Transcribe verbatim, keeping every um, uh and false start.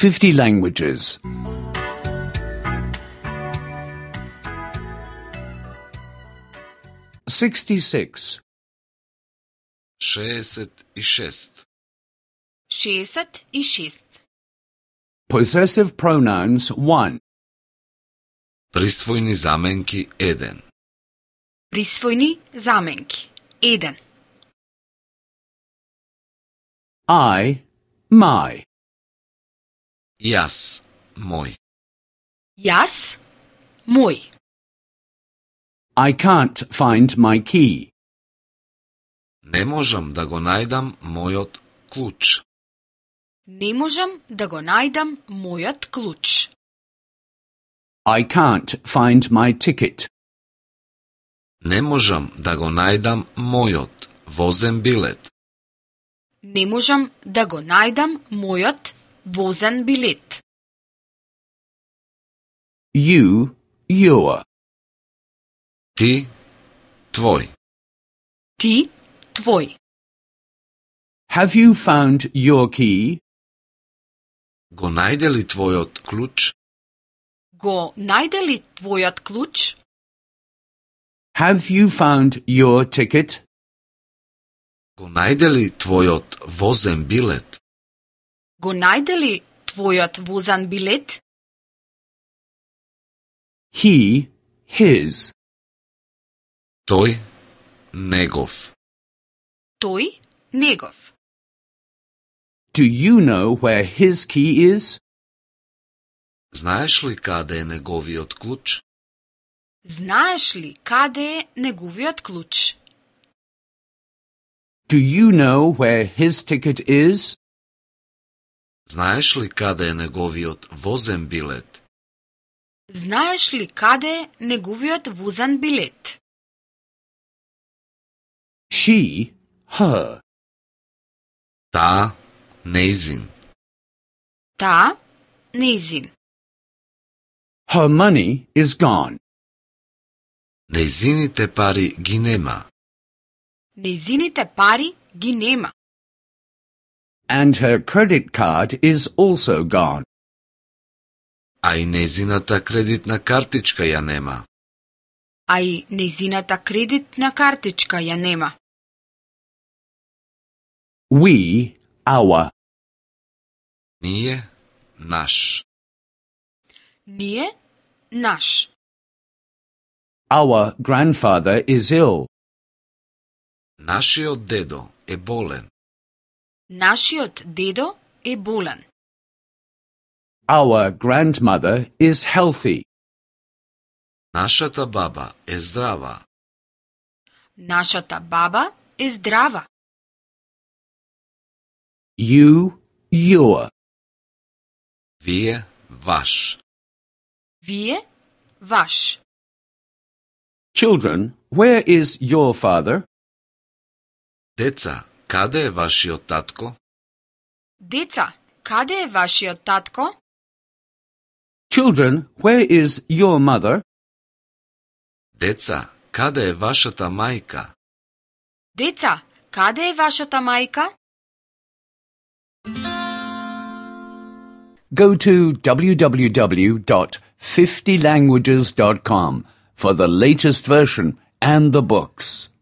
fifty languages. sixty-six. šezdeset šest. šezdeset šest. Possessive pronouns one. Prisvojni zamenki eden. Prisvojni zamenki eden. I, my. Jaz, moj. Jaz, moj. I can't find my key. Ne možem da go najdam mojot ključ. Ne možem da go najdem mojot ključ. I can't find my ticket. Ne možem da go najdam mojot vozen bilet. Ne možem da go najdem mojot vozen bilet. You, your. Ti, tvoj. Ti, tvoj. Have you found your key? Go najde li tvojot ključ? Go najde li tvojot ključ? Have you found your ticket? Go najde li tvojot vozen bilet? Go najde li tvojot vozen bilet? He, his. Toj, negov. Toj, negov. Do you know where his key is? Знаеш ли каде е неговиот клjuč? Знаеш ли каде е неговиот клjuč? Do you know where his ticket is? Знаеш ли каде е неговиот возен билет? Знаеш ли каде е неговиот возен билет? She, her. Та, нејзин. Та, нејзин. Her money is gone. Нејзините пари ги нема. Нејзините пари ги нема. And her credit card is also gone. А и нејзината кредитна картичка ја нема. А и нејзината кредитна картичка ја нема. We, our. Ние, наш. Ние, наш. Our grandfather is ill. Нашиот дедо е болен. Нашиот дедо е болен. Our grandmother is healthy. Нашата баба е здрава. Нашата баба е здрава. You, your. Вие, ваш. Вие, ваш. Children, where is your father? Деца, каде е вашиот татко? Деца, каде е вашиот татко? Children, where is your mother? Деца, каде е вашата мајка? Деца, каде е вашата мајка? Go to w w w dot fifty languages dot com for the latest version and the books.